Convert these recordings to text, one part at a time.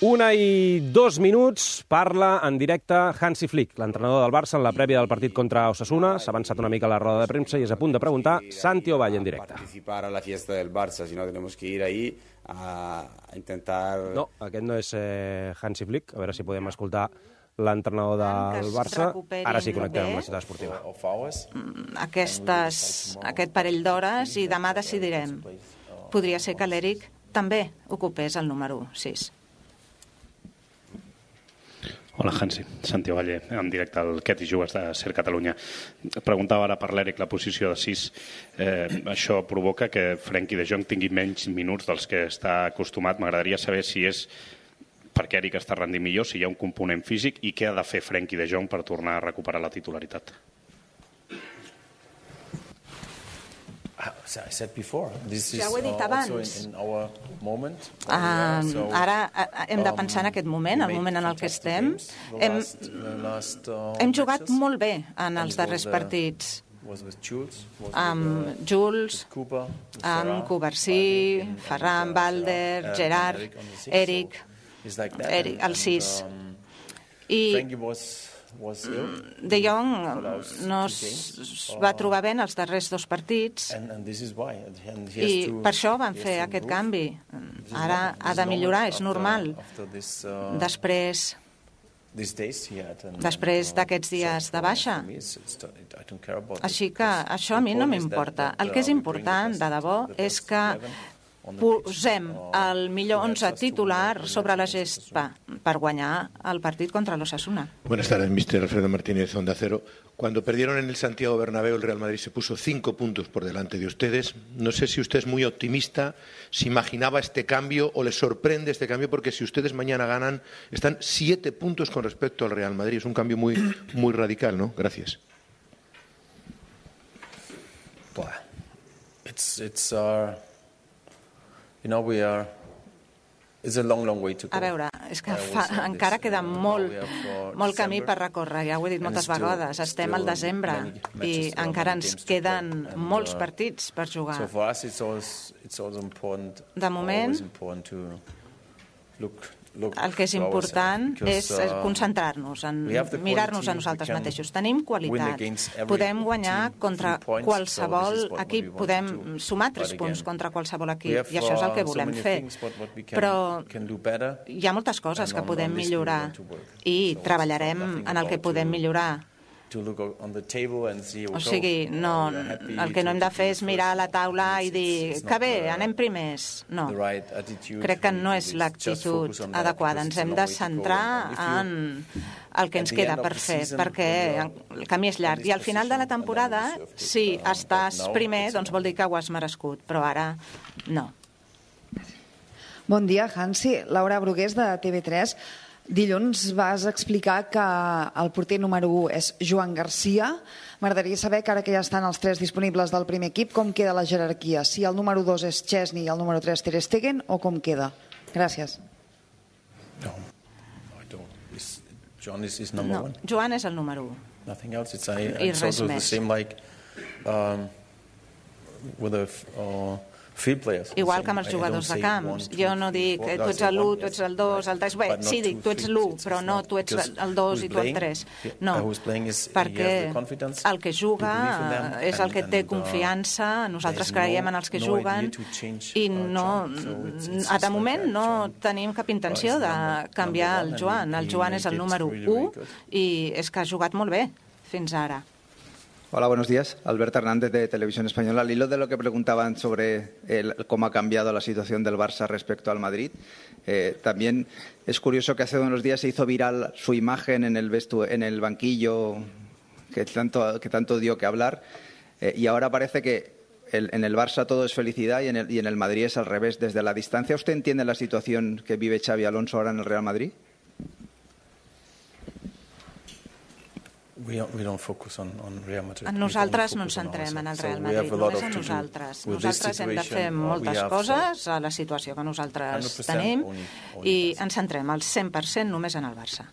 1:02, parla en directe Hansi Flick, l'entrenador del Barça, en la prèvia del partit contra Osasuna. S'ha avançat una mica a la roda de premsa i és a punt de preguntar Santi Ovalle en directe. Participar a la fiesta del Barça, si no tenemos que ir ahí a intentar... No, aquest no és Hansi Flick. A veure si podem escoltar l'entrenador del Barça. Ara sí connectem amb la ciutat esportiva. Aquest parell d'hores i demà decidirem. Podria ser que l'Eric també ocupés el número 6. Hola, Hansi. Santi Ovalle, en directe al Què t'hi jugues de Ser Catalunya. Preguntava ara per l'Eric la posició de 6. Això provoca que Frenkie de Jong tingui menys minuts dels que està acostumat. M'agradaria saber si és perquè Eric està rendint millor, si hi ha un component físic i què ha de fer Frenkie de Jong per tornar a recuperar la titularitat. Ja ho he dit abans. Ara hem de pensar en aquest moment, el moment en el que estem. Hem jugat molt bé en els darrers partits. Amb Jules, amb Covarsí, Ferran, Balder, Gerard, Eric, el 6. I De Jong no es va trobar bé en els darrers dos partits i per això van fer aquest canvi. Ara ha de millorar, és normal. Després d'aquests dies de baixa. Així que això a mi no m'importa. El que és important, de debò, és que posem el millor 11 titular sobre la gespa per guanyar el partit contra l'Osasuna. Buenas tardes, Mr. Alfredo Martínez, Onda Cero. Cuando perdieron en el Santiago Bernabéu, el Real Madrid se puso 5 puntos por delante de ustedes. No sé si usted es muy optimista, si imaginaba este cambio o le sorprende este cambio, porque si ustedes mañana ganan, están 7 puntos con respecto al Real Madrid. Es un cambio muy radical, ¿no? Gracias. A veure, és que encara queda molt camí per recórrer, ja ho he dit moltes vegades. Estem al desembre i encara ens queden molts partits per jugar. De moment, el que és important és concentrar-nos, en mirar-nos a nosaltres mateixos. Tenim qualitat, podem guanyar contra qualsevol equip, podem sumar 3 punts contra qualsevol equip, i això és el que volem fer. Però hi ha moltes coses que podem millorar i treballarem en el que podem millorar. O sigui, el que no hem de fer és mirar a la taula i dir que bé, anem primers. No, crec que no és l'actitud adequada. Ens hem de centrar en el que ens queda per fer, perquè el camí és llarg. I al final de la temporada, si estàs primer, doncs vol dir que ho has merescut, però ara no. Bon dia, Hansi. Laura Brugués, de TV3. Dilluns vas explicar que el porter número 1 és Joan Garcia. M'agradaria saber que ara que ja estan els 3 disponibles del primer equip, com queda la jerarquia? Si el número 2 és Chesney i el número 3 Ter Stegen, o com queda? Gràcies. No, Joan és el número 1. I res més. Igual que amb els jugadors de camps. Jo no dic tu ets l'1, tu ets el 2, el 3... Bé, sí, dic tu ets l'1, però no tu ets el 2 i tu el 3. No, perquè el que juga és el que té confiança, nosaltres creiem en els que juguen i no, de moment no tenim cap intenció de canviar el Joan. El Joan és el número 1 i és que ha jugat molt bé fins ara. Hola, buenos días. Alberto Hernández, de Televisión Española. Al hilo de lo que preguntaban sobre cómo ha cambiado la situación del Barça respecto al Madrid, también es curioso que hace unos días se hizo viral su imagen en el banquillo que tanto dio que hablar, y ahora parece que en el Barça todo es felicidad y en el Madrid es al revés. Desde la distancia, ¿usted entiende la situación que vive Xavi Alonso ahora en el Real Madrid? Nosaltres no ens centrem en el Real Madrid, només en nosaltres. Nosaltres hem de fer moltes coses a la situació que nosaltres tenim i ens centrem al 100% només en el Barça.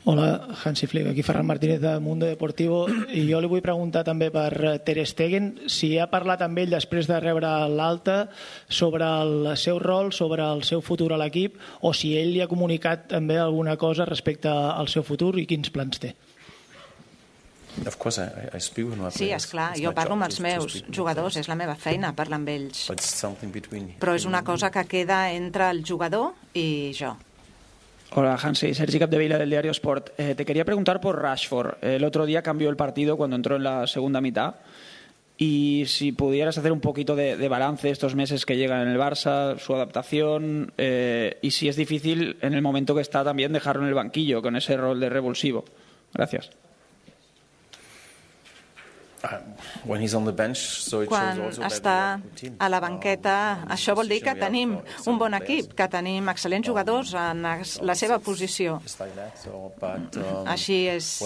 Hola, Hansi Flick, aquí Ferran Martínez de Mundo Deportivo, i jo li vull preguntar també per Ter Stegen si ha parlat amb ell després de rebre l'alta sobre el seu rol, sobre el seu futur a l'equip, o si ell li ha comunicat també alguna cosa respecte al seu futur i quins plans té. Sí, esclar, jo parlo amb els meus jugadors, és la meva feina parlar amb ells, però és una cosa que queda entre el jugador i jo. Hola, Hansi. Sergi Capdevila, del diario Sport. Te quería preguntar por Rashford. El otro día cambió el partido cuando entró en la segunda mitad. Y si pudieras hacer un poquito de balance estos meses que llegan en el Barça, su adaptación, y si es difícil en el momento que está también dejarlo en el banquillo con ese rol de revulsivo. Gracias. Quan està a la banqueta, això vol dir que tenim un bon equip, que tenim excel·lents jugadors en la seva posició. Així és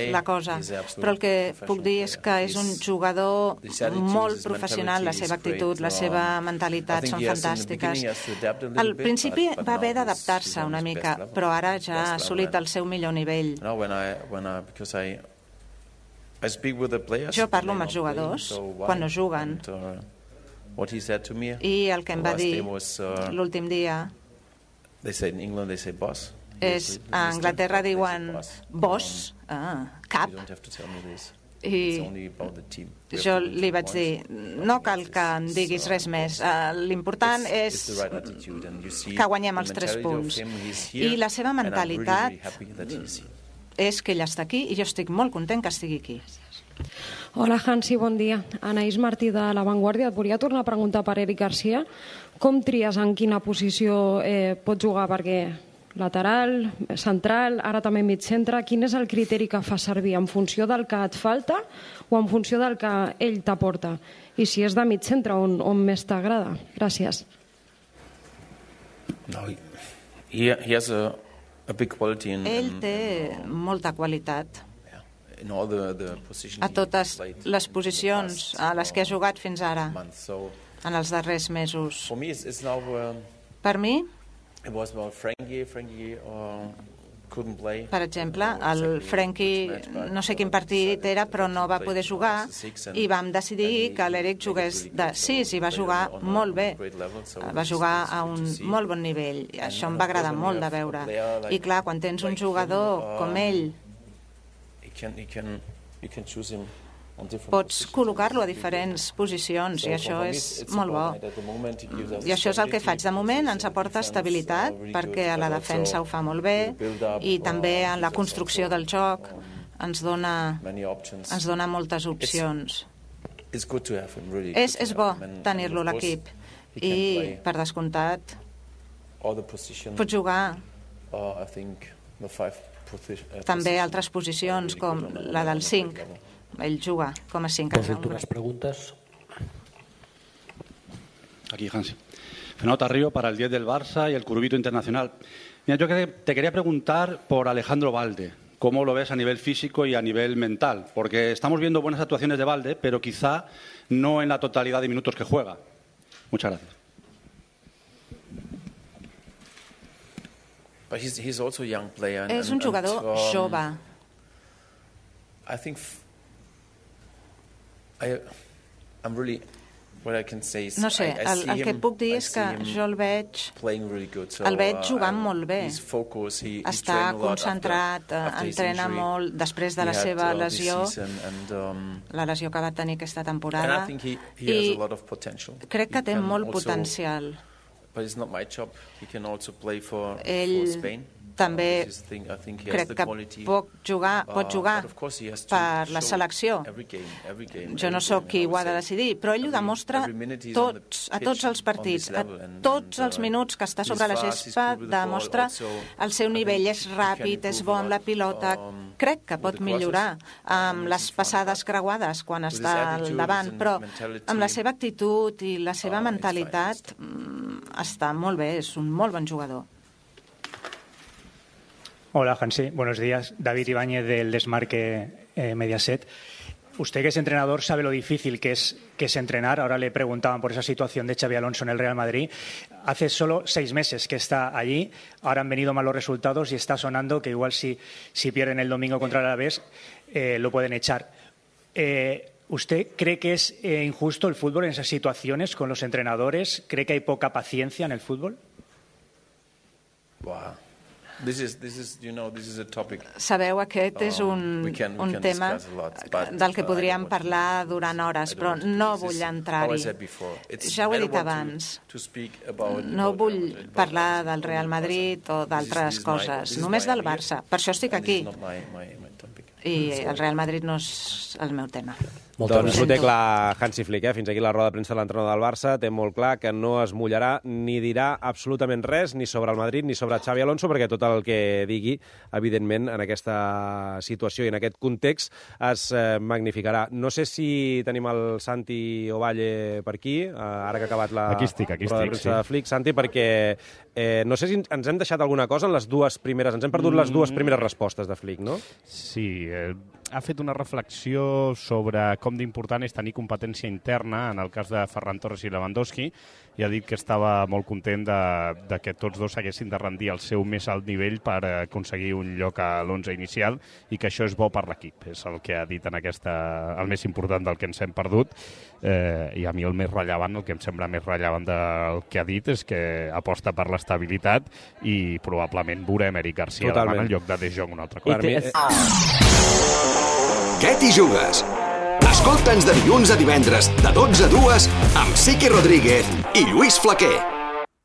la cosa. Però el que puc dir és que és un jugador molt professional, la seva actitud, la seva mentalitat són fantàstiques. Al principi va haver d'adaptar-se una mica, però ara ja ha assolit el seu millor nivell. Jo parlo amb els jugadors quan no juguen i el que em va dir l'últim dia és a Anglaterra diuen boss, cap, i jo li vaig dir no cal que em diguis res més, l'important és que guanyem els 3 punts, i la seva mentalitat és que ell està aquí i jo estic molt content que estigui aquí. Hola, Hansi, bon dia. Anaïs Martí de La Vanguardia. Et volia tornar a preguntar per Eric Garcia. Com tries en quina posició pot jugar? Perquè lateral, central, ara també mig centre. Quin és el criteri que fa servir? En funció del que et falta o en funció del que ell t'aporta? I si és de mig centre, on més t'agrada? Gràcies. Ell té molta qualitat a totes les posicions a les que ha jugat fins ara, en els darrers mesos. Per mi, per exemple, el Frenkie, no sé quin partit era, però no va poder jugar i vam decidir que l'Eric jugués de 6 i va jugar molt bé. Va jugar a un molt bon nivell. Això em va agradar molt de veure. I clar, quan tens un jugador com ell, pots col·locar-lo a diferents posicions i això és molt bo. I això és el que faig. De moment ens aporta estabilitat perquè a la defensa ho fa molt bé i també en la construcció del joc ens dona moltes opcions. És bo tenir-lo a l'equip i, per descomptat, pot jugar també altres posicions com la del 5. Ell juga com a 5. Últimas preguntas. Aquí, Hansi. Fernando Tarrío para el 10 del Barça y el Curvito Internacional. Mira, yo te quería preguntar por Alejandro Balde. ¿Cómo lo ves a nivel físico y a nivel mental? Porque estamos viendo buenas actuaciones de Balde, pero quizá no en la totalidad de minutos que juega. Muchas gracias. És un jugador jove. No sé, el que puc dir és que jo el veig jugant molt bé. Està concentrat, entrena molt després de la seva lesió, la lesió que va tenir aquesta temporada, i crec que té molt potencial. Ell també crec que pot jugar per la selecció. Jo no sóc qui ho ha de decidir, però ell ho demostra a tots els partits, a tots els minuts que està sobre la gespa, demostra el seu nivell, és ràpid, és bon la pilota. Crec que pot millorar amb les passades creuades quan està al davant, però amb la seva actitud i la seva mentalitat està molt bé, és un molt bon jugador. Hola, Hansi. Buenos días. David Ibáñez del Desmarque Mediaset. usted que es entrenador sabe lo difícil que es entrenar. Ahora le preguntaban por esa situación de Xabi Alonso en el Real Madrid. Hace solo 6 meses que está allí, ahora han venido malos resultados y está sonando que igual si pierden el domingo contra el Alavés lo pueden echar. ¿Usted cree que es injusto el fútbol en esas situaciones con los entrenadores? ¿Cree que hay poca paciencia en el fútbol? Wow. This is a topic. Sabeu, aquest és un tema del que podríem parlar durant hores, però no vull entrar-hi. Ja ho he dit abans. No vull parlar del Real Madrid o d'altres coses, només del Barça. Per això estic aquí. I el Real Madrid no és el meu tema. Doncs ho té clar Hansi Flick, fins aquí la roda de premsa de l'entrenador del Barça. Té molt clar que no es mullarà ni dirà absolutament res ni sobre el Madrid ni sobre Xabi Alonso, perquè tot el que digui, evidentment, en aquesta situació i en aquest context es magnificarà. No sé si tenim el Santi Ovalle per aquí, ara que ha acabat la roda de premsa de Flick. Santi, perquè no sé si ens hem deixat alguna cosa en les dues primeres... Ens hem perdut les dues primeres respostes de Flick, no? Sí, ha fet una reflexió sobre com d'important és tenir competència interna en el cas de Ferran Torres i Lewandowski, i ha dit que estava molt content de que tots dos haguessin de rendir al seu més alt nivell per aconseguir un lloc a l'11 inicial i que això és bo per l'equip. És el que ha dit en el més important del que ens hem perdut, i a mi el més rellevant, el que em sembla més rellevant del que ha dit és que aposta per l'estabilitat i probablement veurem Eric Garcia davant el lloc de De Jong un altre cop. Què t'hi jugues? Escolta'ns de dilluns a divendres, de 12 a 2, amb Siqui Rodríguez i Lluís Flaquer.